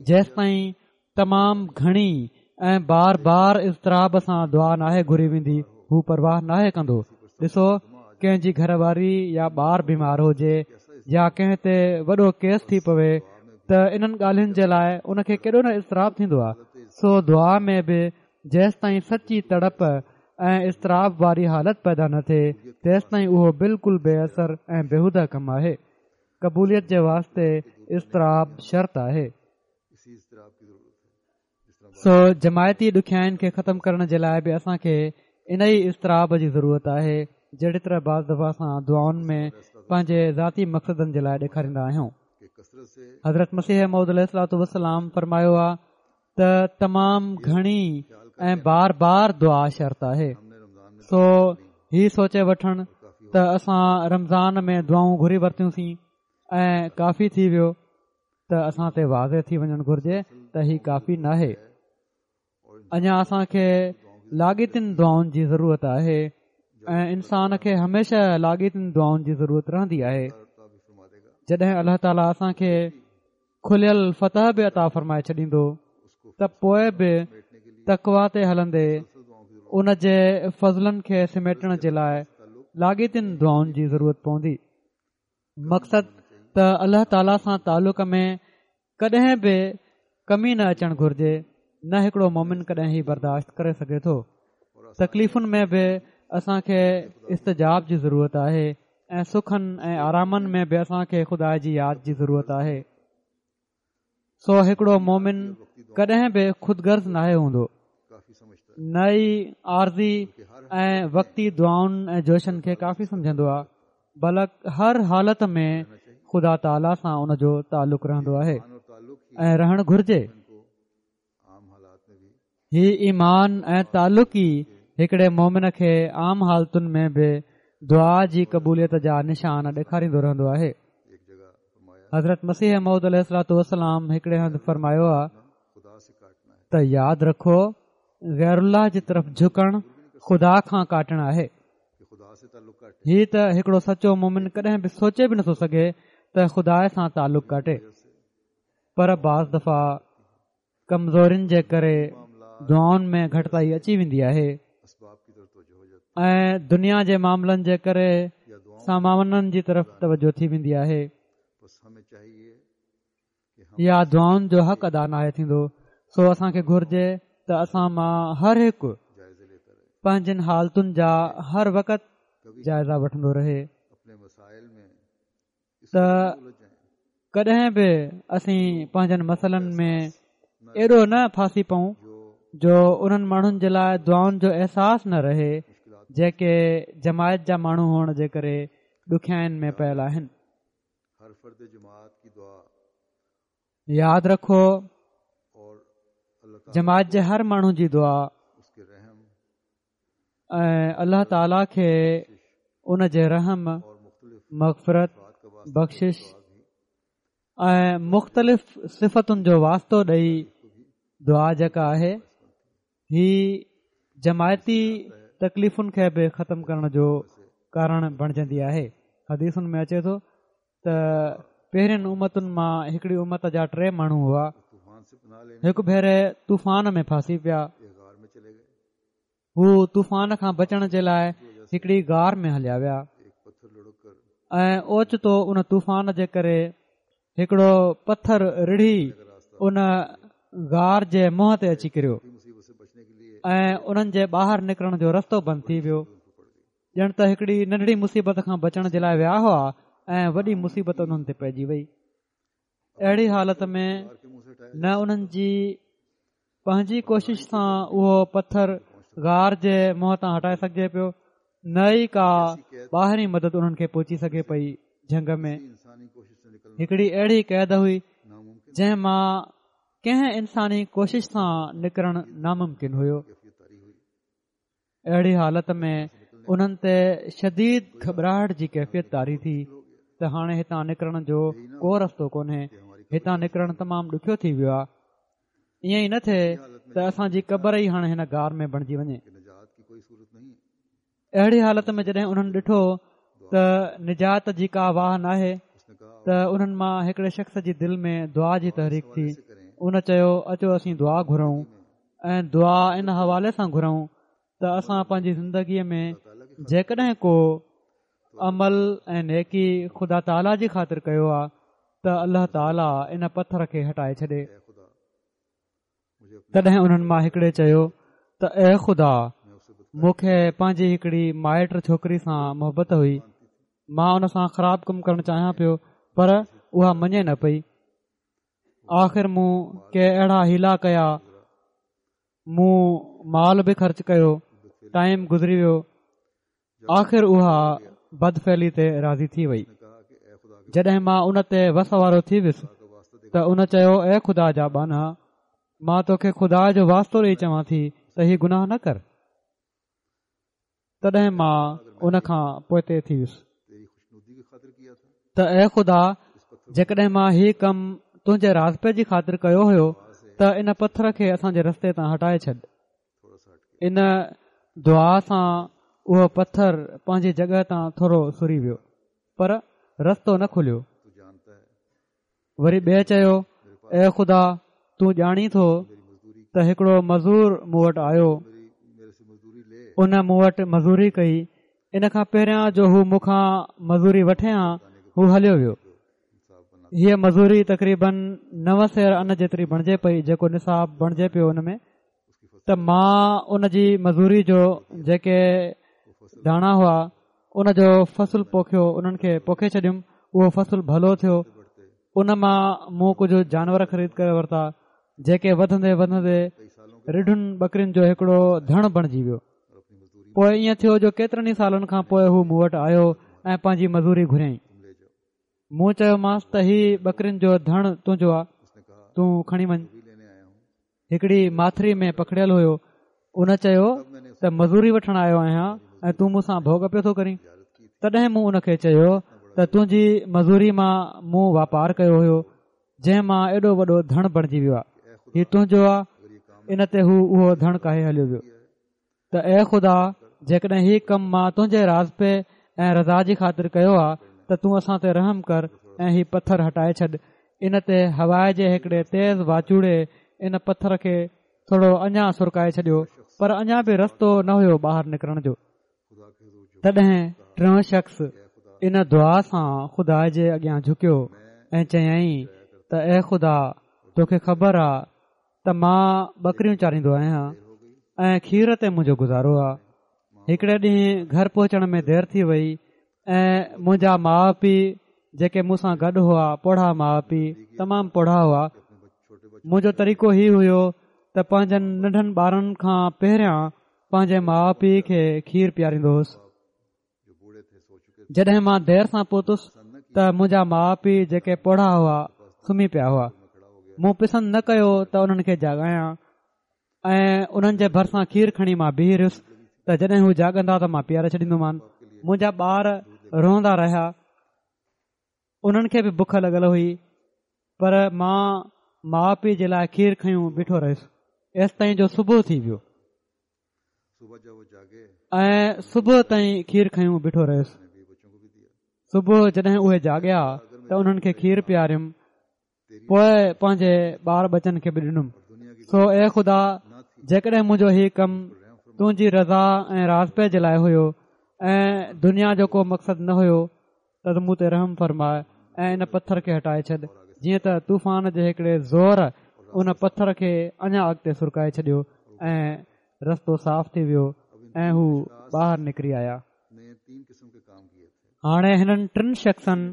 جيستائين تمام گهڻي ۽ بار بار اضطراب سان دعا ناهي گهري ويندي هو پرواهه ناهي ڪندو ڏسو ڪنهن جي گهر واري يا ٻار بيمار هجي يا ڪنهن تي وڏو ڪيس ٿي پوي ته انهن ڳالهين جي لاء ان کي ڪيڏو نه اضطراب ٿيندو آهي سو دعا ۾ به جيستائين سچي تڙپ ۽ اضطراب واري حالت پيدا نه ٿئي تيستائين اهو بلڪل بي اثر ۽ بيهوده ڪم آهي قبوليت جي واسطي اضطراب شرط آهي سو جماعتي ڏکيائين کي ختم ڪرڻ جي لاء به اسان کي ان ئي اضطراب جي ضرورت آهي جهڙي طرح بعض دفعا اسان دعائن ۾ پنهنجي ذاتي مقصدن جي لاء ڏيکاريندا آهيون حضرت مسيح موعود عليه الصلوة والسلام فرمايو آ ته تمام گهڻي ۽ بار بار دعا شرط آهي سو هي سوچي وٺڻ ته اسان رمضان ۾ دعائون گهري ورتيونسين ۽ ڪافي ٿي ويو ته اسان تي واضح ٿي وڃڻ گهرجي ته هي ڪافي ناهي اڃا اسان کي لاڳيتين دعائن جي ضرورت آهي ۽ انسان کي هميشه لاڳيتين دعائن جي ضرورت رهندي آهي جڏهن الله تعاليٰ اسان کي کليل فتح به عطا فرمائي ڇڏيندو ته پوء به تقوا تي هلندي ان جي فضلن کي سميٽڻ جي لاء لاڳيتين دعائن جي ضرورت پوندي مقصد ته الله تعاليٰ سان تعلق ۾ ڪڏهن به ڪمي نه اچڻ گهرجي نه هڪڙو مومن ڪڏهن هي برداشت ڪري سگهي ٿو تڪليفن ۾ به اسان کي استجاب جي ضرورت آهي ۽ سکن ۽ آرامن ۾ به اسان کي خدا جي ياد جي ضرورت آهي سو هڪڙو مومن ڪڏهن به خود غرض ناهي هوندو نه ئي عارضي ۽ وقتي دعائن ۽ جوشن کي ڪافي سمجهندو آهي بلڪ هر حالت ۾ خدا تعاليٰ سان ان جو تعلق رهندو آهي ۽ رهڻ گهرجي هي ايمان ۽ تعلق ئي هڪڙي مومن کي عام حالتن ۾ به دعا جي قبوليت جا نشان ڏيکاريندو رهندو آهي. حضرت مسيح موعود عليه الصلوة والسلام هڪڙي هنڌ فرمايو آ ته ياد رکو غير الله جي طرف جهڪڻ خدا کان ڪاٽڻ آهي. هي ته هڪڙو سچو مومن ڪڏهن به سوچي به نٿو سگهي ته خدا سان تعلق ڪاٽي. پر بعض دفعا ڪمزورين جي ڪري دعائن ۾ گهٽتائي اچي ويندي آهي ۽ دنيا جي معاملن جي ڪري سامانن جي طرف توجه ٿي ويندي آهي يا دعائن جو حق ادا ناهي ٿيندو سو اسان کي گهرجي ته اسان مان هر هڪ پنهنجن حالتن جا هر وقت جائزا وٺندو رهي ته ڪڏهن به اسين پنهنجن مسئلن ۾ ايڏو نه ڦاسي پئون جو انهن ماڻهن جي لاء دعائن جو احساس نه رهي جيڪي جماعت جا ماڻهو هئڻ جي ڪري ڏکيائين ۾ پيل آهن. ياد رکو جماعت جي هر ماڻهو جي دعا ۽ الله تعاليٰ کي ان جي رحم مغفرت بخشش ۽ مختلف صفتن جو واسطو ڏئي دعا جيڪا آهي هي جماعتي تڪليفن کي به ختم ڪرڻ جو ڪارڻ بڻجندي آهي حديثن ۾ اچي ٿو ته پهرين امتن مان هڪڙي امت جا ٽي ماڻهو هئا هڪ ڀيري طوفان ۾ ڦاسي پيا هو طوفان کان بچڻ جي لاء هڪڙي غار ۾ هليا ويا ۽ اوچتو ان طوفان جي ڪري هڪڙو پٿر رڙهي ان غار جي منهن تي اچي ڪريو ۽ انهن جي ٻاهر نڪرڻ جو رستو بند ٿي ويو ڄڻ ته هڪڙي ننڍڙي مصيبت کان بچڻ جي لاء ويا هئا ۽ وڏي مصيبت انهن تي پئجي وئي اهڙي حالت ۾ نه انهن جي پنهنجي ڪوشش سان اهو پٿر غار جي منهن تان هٽائي سگهجي پيو نه ئي ڪا ٻاهرين مدد انهن کي پهچي سگهي پئي جهنگ ۾ هڪڙي اهڙي قيد هئي جنهن مان ڪنهن انساني ڪوشش سان نڪرڻ ناممڪن هيو. اهڙي حالت ۾ انهن تي شديد گهٻراهٽ جي ڪيفيت طاري ٿي ته هاڻي هتان نڪرڻ جو ڪو رستو ڪونهي، هتان نڪرڻ تمام ڏکيو ٿي ويو آهي. ائين ئي نه ٿئي ته اسان جي قبر ئي هاڻي هن غار ۾ بڻجي وڃي. اهڙي حالت ۾ جڏهن انهن ڏٺو ته نجات جي ڪا واهه ناهي ته انهن مان هڪڙي شخص جي دل ۾ دعا جي تحريڪ ٿي ان چيو اچو اسين دعا گهرون ۽ دعا ان حوالي سان گهرون ته اسان پنهنجي زندگيء ۾ جيڪڏهن ڪو عمل ۽ نيڪي خدا تعاليٰ جي خاطر ڪيو آ ته الله تعاليٰ ان پٿر کي هٽائي ڇڏي. تڏهن انهن مان هڪڙي چيو ته اي خدا! مون کي پنهنجي هڪڙي مائٽ ڇوڪري سان محبت هئي، مان ان سان خراب ڪم ڪرڻ چاهيان پيو پر اها مڃي نه پئي. آخر مون ڪي اهڙا حيلا ڪيا، مون مال به خرچ ڪيو، ٽائيم گذري ويو، آخر اها بدفعلي تي راضي ٿي وئي. جڏهن مان ان تي وس وارو ٿي ويس ته ان چيو اي خدا جا ٻانها مان توکي خدا جو واسطو ڏئي چوان ٿي ته هي گناهه نه ڪر. تڏهن مان ان کان پوئتي ٿي ويس ته اي خدا جيڪڏهن مان هي ڪم تنهنجي راضپي جي خاطر ڪيو هيو ته ان پٿر کي اسان جي رستي تان هٽائي ڇڏ. ان دعا سان اهو پٿر پنهنجي جڳهه تان ٿورو سري ويو پر رستو نه کليو. وري ٻئي چيو اي خدا تون ڄاڻين ٿو ته هڪڙو مزور مون وٽ آيو ان مون وٽ مزوري ڪئي ان کان پهريان جو هو مون کان مزوري وٺي ها هو هليو ويو هيء مزوري تقريبن نو سير ان جيتري بڻجي پئي جيڪو نصاب بڻجي پيو ان ۾ ته مان ان جي مزوري جو جيڪي داڻا هئا ان جو فصل پوکيو انهن کي پوکي ڇڏيم اهو فصل ڀلو ٿيو ان مان مون ڪجهه جانور خريد ڪري ورتا جيڪي وڌندي وڌندي رڍن ٻڪرين جو هڪڙو ڌڻ بڻجي ويو پوء ائين ٿيو جو ڪيترن ئي سالن کان پوء هو مون وٽ آيو ۽ پنهنجي مزوري گهريائين مون چيومانس ته هي ٻڪرين جو ڌڻ تنهنجو آ تون کڻي وڃ هڪڙي ماٿري ۾ پکڙيل هيو. ان چيو ته مزوري وٺڻ آيو آهيان ۽ تون مون سان ڀوڳ پيو ٿو ڪرين. تڏهن مون ان کي چيو ته تنهنجي مزوري مان مون واپار ڪيو هيو، جنهن مان ايڏو وڏو ڌڻ بڻجي ويو آهي. هي تنهنجو آهي. ان تي هو اهو ڌڻ ڪاهي هليو ويو. ته اي خدا! جيڪڏهن هي ڪم مان تنهنجي راضپي ۽ رضا جي خاطر ڪيو آ ته تون اسان تي رحم ڪر ۽ هي پٿر هٽائي ڇڏ. ان تي هوا جي هڪڙي تيز واچوڙي ان پٿر کي ٿورو اڃا سرڪائي ڇڏيو پر اڃا به رستو نه هيو ٻاهر نڪرڻ جو. تڏهن ٽيون شخص ان دعا سان خدا جي اڳيان جهڪيو ۽ چيائين ته اي خدا! توکي خبر آ ته مان ٻڪريون چاريندو آهيان ۽ کير تي منهنجو گذارو آهي. هڪڙي ڏينهن گهر پهچڻ ۾ دير ٿي وئي ۽ منهنجا ماء پيء جيڪي مون سان گڏ هئا پوڙها ماء پيء تمام پوڙها هئا منهنجو طريقو هي هيو ته پنهنجن ننڍن ٻارن کان پهريان پنهنجي ماء پيء کي کير پياريندو هوس جڏهن مان دير سان پهتس ته منهنجا ماء پيء جيڪي پوڙها هئا سمهي پيا هئا مون پسند نه ڪيو ته انهن کي جاڳايان ۽ انهن جي ڀرسان کير کڻي مان بيهي رهيس ته جڏهن هو جاڳندا ته مان پياري ڇڏيندومان منهنجا ٻار روئندا رهيا انهن کي به بک لڳل هئي پر مان ماء پيء جي لاء کير کنيون بيٺو رهيس ايستائين جو صبح ٿي ويو ۽ صبح تائين کير کنيون بيٺو رهيس صبح جڏهن اهي جاڳيا ته انهن کي کير پياريم پوء پنهنجي ٻار ٻچن کي به ڏنم سو اي خدا جيڪڏهن منهنجو هي ڪم تنهنجي رضا ۽ راضپي جي لاء هيو ۽ دنيا جو ڪو مقصد نه هيو ته مون تي رحم فرماء ۽ ان پٿر کي هٽائي ڇڏ، جيئن ته طوفان جي هڪڙي زور ان پٿر کي اڃا اڳتي سرڪائي ڇڏيو ۽ رستو صاف ٿي ويو ۽ هو ٻاهر نڪري آيا. هاڻي هنن ٽن شخصن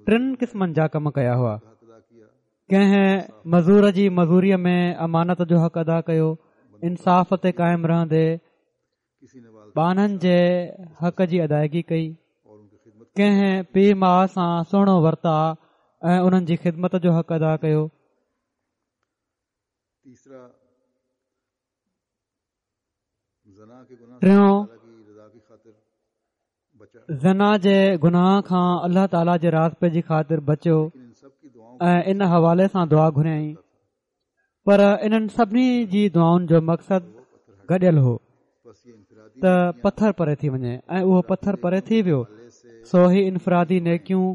ٽن قسمن جا ڪم ڪيا هئا. ڪنهن مزور جي مزوريء ۾ امانت جو حق ادا ڪيو، انصاف تي قائم رهندي ٻانهن جي حق جي ادائگي ڪئي، ڪنهن پيء ماء سان سهڻو ورتاء ۽ انهن جي خدمت جو حق ادا ڪيو. ٽيون، زنا جي گناهه کان الله تعاليٰ جي راضپي جي خاطر بچيو ۽ ان حوالي سان دعا گهريائين پر انهن سڀني جي دعائن جو مقصد گڏيل هو ته پٿر پري ٿي وڃي ۽ اهو پٿر پري ٿي ويو. سو هي انفرادي نيڪيون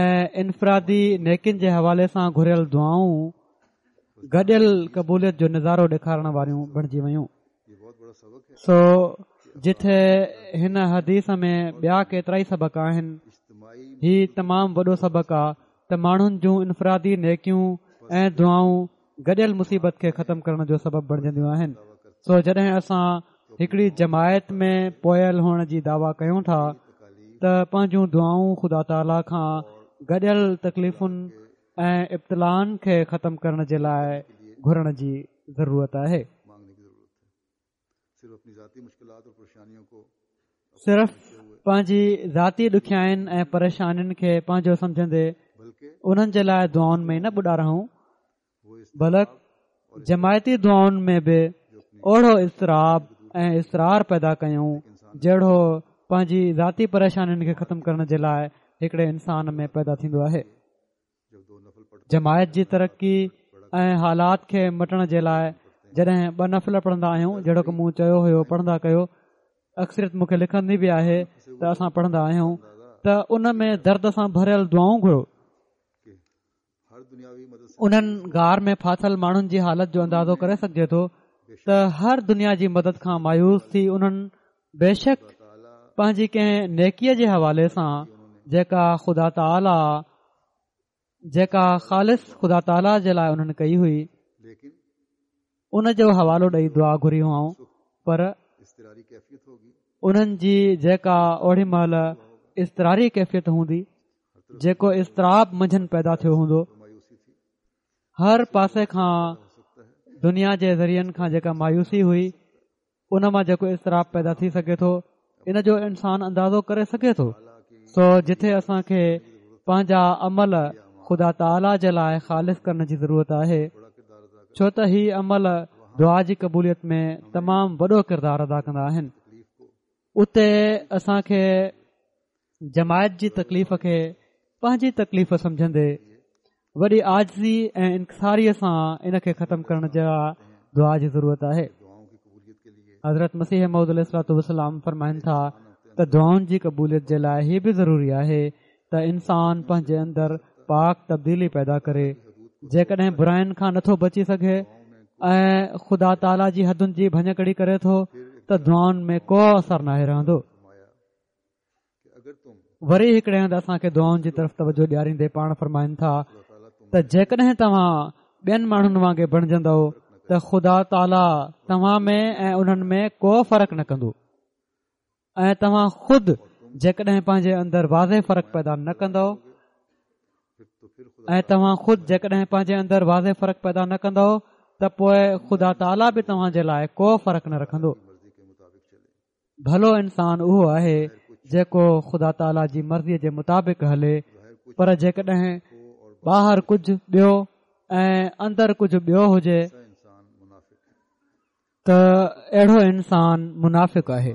۽ انفرادي نيڪين جي حوالي سان گهريل دعائون گڏيل قبوليت جو نظارو ڏيکارڻ واريون بڻجي ويون. سو جتي هن حديث ۾ ٻيا ڪيترائي سبق آهن، هي تمام وڏو سبق آ ته ماڻهن جون انفرادي نيڪيون ۽ دعائون گڏيل مصيبت کي ختم ڪرڻ جو سبب بڻجنديون آهن. سو جڏهن اسان هڪڙي جماعت ۾ پوئيل هئڻ جي دعويٰ ڪيون ٿا ته پنهنجون دعائون خدا تعاليٰ کان گڏيل تڪليفن ۽ ابتلائن کي ختم ڪرڻ جي لاء گهرڻ جي ضرورت آهي. صرف پنهنجي ذاتي ڏکيائين ۽ پريشانين کي پنهنجو سمجهندي انهن جي لاء دعائن ۾ نه ٻڏا رهون بلڪ جماعتي دعائن ۾ به اوڙو اضطراب ۽ اصرار پيدا ڪيون جهڙو پنهنجي ذاتي پريشانين کي ختم ڪرڻ جي لاء هڪڙي انسان ۾ پيدا ٿيندو آهي. جماعت جي ترقي ۽ حالات کي مٽڻ جي لاء جڏهن ٻه نفل پڙهندا آهيون جهڙوڪ مون چيو هيو پڙهندا ڪيو اڪثريت مون کي لکندي به آهي ته اسان پڙهندا آهيون ته ان ۾ درد سان ڀريل دعائون گهرو انهن غار ۾ ڦاٿل ماڻهن جي حالت جو اندازو ڪري سگهجي ٿو ته هر دنيا جي مدد کان مايوس ٿي انهن بيشڪ پنهنجي ڪنهن نيڪيء جي حوالي سان جيڪا خدا تعاليٰ جيڪا خالص خدا تعاليٰ جي لاء انهن ڪئي هئي ان جو حوالو ڏئي دعا گهري هئائون پر انهن جي جيڪا اوڙي مهل اضطراري ڪيفيت هوندي جيڪو اضطراب منجهن پيدا ٿيو هوندو هر پاسي کان دنيا جي ذريعن کان جيڪا مايوسي هئي ان مان جيڪو اضطراب پيدا ٿي سگهي ٿو ان جو انسان اندازو ڪري سگهي ٿو. سو جتي اسان کي پنهنجا عمل خدا تعاليٰ جي لاء خالص ڪرڻ جي ضرورت آهي ڇو ته هي عمل دعا جي قبوليت ۾ تمام وڏو ڪردار ادا ڪندا آهن اتي اسان کي جماعت جي تڪليف کي پنهنجي تڪليف سمجهندي وڏي عاجزي ۽ انڪساريء سان ان کي ختم ڪرڻ جي دعا جي ضرورت آهي. حضرت مسيح موعود عليه الصلوة والسلام فرمائن ٿا ته دعائن جي قبوليت جي لاء هي به ضروري آهي ته انسان پنهنجي اندر پاڪ تبديلي پيدا ڪري جيڪڏهن براين کان نٿو بچي سگهي ۽ خدا تعاليٰ جي حدن جي ڀڃڪڙي ڪري ٿو ته دعائن ۾ ڪو اثر ناهي رهندو. وري هڪڙي هنڌ اسان کي دعائن جي طرف توجه ڏياريندي پاڻ فرمائن ٿا ته جيڪڏهن توهان ٻين ماڻهن وانگي بڻجندؤ ته خدا تعاليٰ توهان ۾ ۽ انهن ۾ ڪو فرق نه ڪندو ۽ توهان خود جيڪڏهن پنهنجي اندر واضح فرق پيدا نه ڪندؤ ۽ توهان خود جيڪڏهن پنهنجي اندر واضح فرق پيدا نه ڪندؤ ته پوء خدا تعاليٰ به توهان جي لاء ڪو فرق نه رکندو. ڀلو انسان اهو آهي جيڪو خدا تعاليٰ جي مرضيء جي مطابق هلي پر جيڪڏهن ٻاهر ڪجهه ٻيو ۽ اندر ڪجهه ٻيو هجي ته اهڙو انسان منافق آهي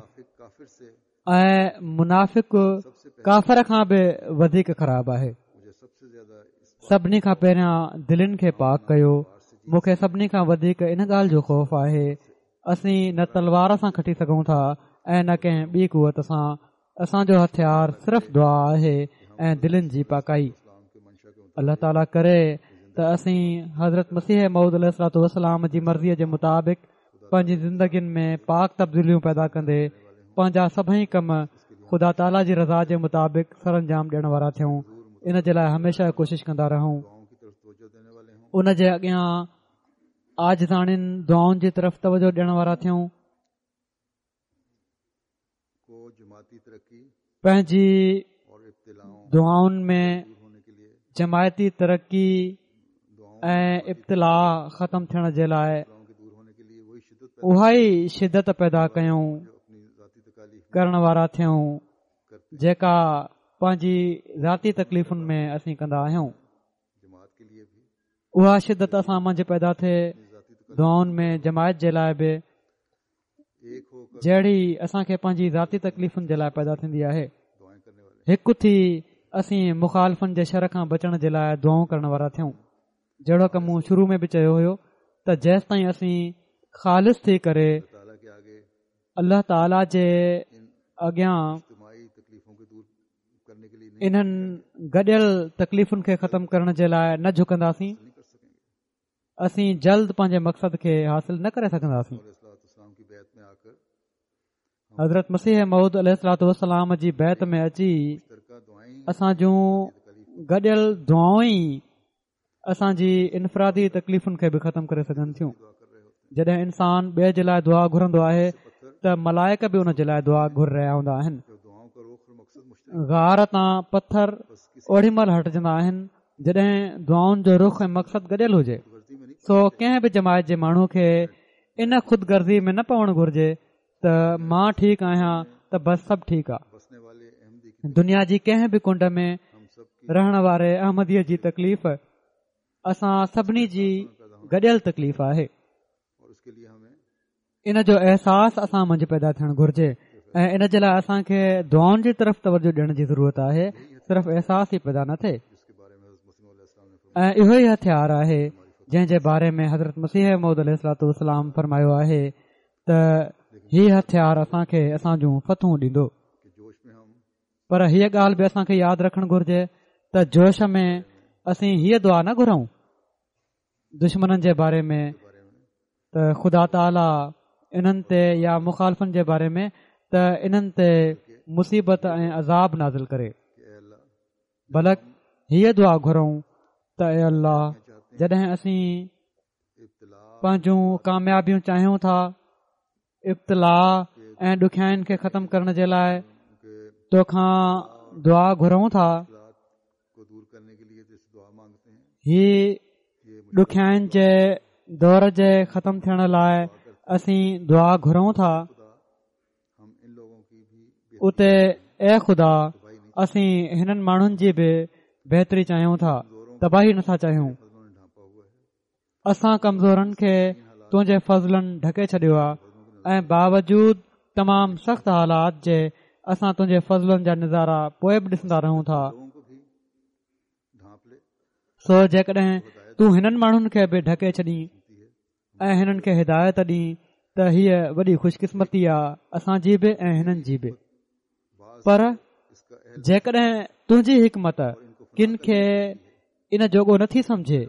۽ منافق ڪافر کان به وڌيڪ خراب آهي. سڀني کان پهريان دلين کي پاڪ ڪيو مون کي سڀني کان وڌيڪ ان ڳالهه جو خوف آهي اسين نه تلوار سان کٽي سگهون ٿا ۽ نه ڪنهن ٻي قوت سان، اسان جو هٿيار صرف دعا آهي ۽ دلين جي پاڪائي. الله تعاليٰ ڪري ته اسين حضرت مسيح موعود عليه الصلوة والسلام جي مرضيء جي مطابق پنهنجي زندگين ۾ پاڪ تبديليون پيدا ڪندي پنهنجا سڀئي ڪم خدا تعاليٰ جي رضا جي مطابق سرانجام ڏيڻ وارا ٿيون ان جي لاء هميشه ڪوشش ڪندا رهون ان جي اڳيان عاجزاڻين دعائن جي طرف توجه ڏيڻ وارا ٿيون. پنهنجي دعائن ۾ جماعتي ترقي ۽ ابتلاء ختم ٿيڻ جي لاء اها ئي شدت پيدا ڪيون ڪرڻ وارا ٿيون جيڪا پنهنجي ذاتي تڪليفن ۾ اسين ڪندا آهيون. اها شدت اسان منجهه پيدا ٿئي. دعائن ۾ جماعت جي لاء به جهڙي اسان کي پنهنجي ذاتي تڪليفن جي لاء پيدا ٿيندي آهي. هڪ ٿي اسين مخالفن جي شر کان بچڻ جي لاء دعائون ڪرڻ وارا ٿيون. جهڙوڪ مون شروع ۾ به چيو هيو ته جيستائين اسين خالص ٿي ڪري الله تعاليٰ جي اڳيان انهن گڏيل تڪليفن کي ختم ڪرڻ جي لاء نه جهڪنداسين اسين جلد پنهنجي مقصد کي حاصل نه ڪري سگهنداسين. حضرت مسيح موعود عليه الصلوة والسلام جي بيعت ۾ اچي اسان جون گڏيل دعائون ئي اسان جي انفرادي تڪليفن کي به ختم ڪري سگهن ٿيون. جڏهن انسان ٻئي جي لاء دعا گهرندو آهي ته ملائڪ به ان جي لاء دعا گهري رهيا هوندا آهن. غار تان پٿر اوڏي مهل هٽجندا آهن جڏهن دعائن جو رخ ۽ مقصد گڏيل هجي. سو ڪنهن به جماعت جي ماڻهو کي ان خود غرضي ۾ نه پوڻ گهرجي ته مان ٺيڪ آهيان ته بس سڀ ٺيڪ آ. دنيا جي ڪنهن به ڪنڊ ۾ رهڻ واري احمديء جي تڪليف اسان سڀني جي گڏيل تڪليف آهي. ان جو احساس اسان منجهه پيدا ٿيڻ گهرجي ۽ ان جي لاء اسان کي دعائن جي طرف توجه ڏيڻ جي ضرورت آهي صرف احساس ئي پيدا نه ٿئي ۽ اهو ئي هٿيار آهي جنهن جي باري ۾ حضرت مسيح موعود عليه الصلوة والسلام فرمايو آهي ته هي هٿيار اسان کي اسان جون فتحون ڏيندو پر هيء ڳالهه به اسان کي ياد رکڻ گهرجي ته جوش ۾ اسين هيء دعا نه گهرون دشمنن جي باري ۾ ته خدا تعاليٰ انهن تي يا مخالفن جي باري ۾ ته انهن تي مصيبت ۽ عذاب نازل ڪري بلڪ هيء دعا گهرون ته اي الله جڏهن اسين پنهنجون ڪاميابيون چاهيون ٿا ابتلاء ۽ ڏکيائين کي ختم ڪرڻ جي لاء توکان دعا گهرون ٿا هي ڏکيائين جي دور جي ختم ٿيڻ لاء اسين دعا گهرون ٿا اتي اي خدا اسين هنن ماڻهن جي به بهتري چاهيون ٿا تباهي نٿا چاهيون اسان ڪمزورن کي تنهنجي فضلن ڍڪي ڇڏيو آهي ۽ باوجود تمام سخت حالات جي اسان تنهنجي فضلن جا نظارا پوء به ڏسندا رهون ٿا سو جيڪڏهن تون هنن ماڻهن کي به ڍڪي ڇڏين ۽ هنن کي هدايت ڏين ته هيء وڏي خوشقسمتي آهي اسان جي به ۽ هنن جي به پر جيڪڏهن تنهنجي حڪمت ڪن کي ان جوڳو نٿي سمجهي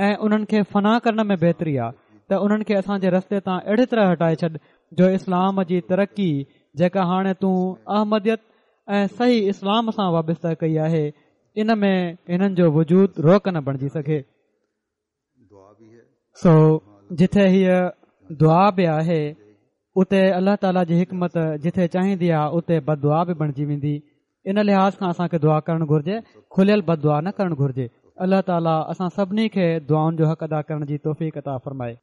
۽ انهن کي فنا ڪرڻ ۾ بهتري آ ته انهن کي اسان جي رستي تان اهڙي طرح هٽائي ڇڏ جو اسلام جي ترقي جيڪا هاڻي تون احمديت ۽ صحيح اسلام سان وابسته ڪئي آهي ان ۾ هنن جو وجود روڪ نه بڻجي سگهي سو جٿي هيء دعا به آهي اتي الله تعاليٰ جي حڪمت جٿي چاهيندي آهي اتي بد دعا به بڻجي ويندي ان لحاظ کان اسان کي دعا ڪرڻ گهرجي کليل بد دعا نه ڪرڻ گهرجي الله تعاليٰ اسان سڀني کي دعائن جو حق ادا ڪرڻ جي توفيق عطا فرمائي.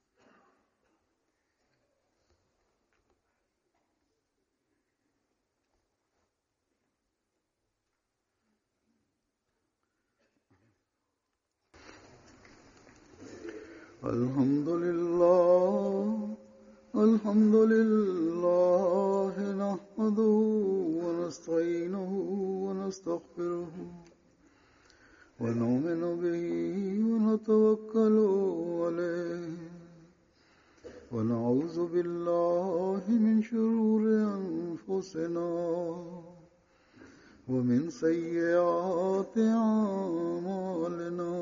الحمد لله الحمد لله نحمده ونستعينه ونستغفره ونؤمن به ونتوكل عليه ونعوذ بالله من شرور أنفسنا ومن سيئات أعمالنا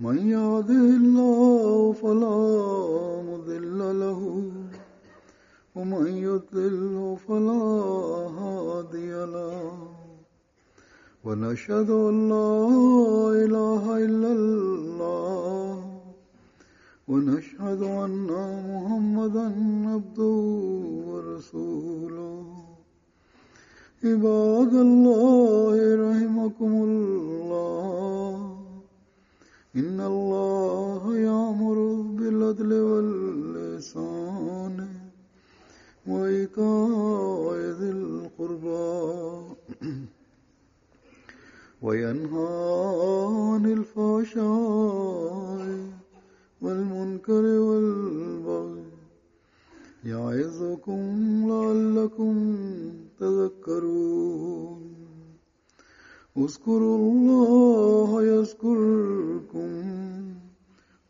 من يهده الله فلا مضل له ومن يضلل فلا هادي له ونشهد أن لا إله إلا الله ونشهد أن محمدا عبده ورسوله عباد الله رحمكم الله إن الله يأمر بالعدل واللسان وإيتاء ذي القربى وينهى عن الفحشاء والمنكر تذكرون. اذكروا الله يذكركم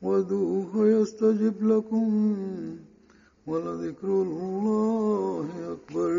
وادعوه يستجب لكم ولذكر الله أكبر.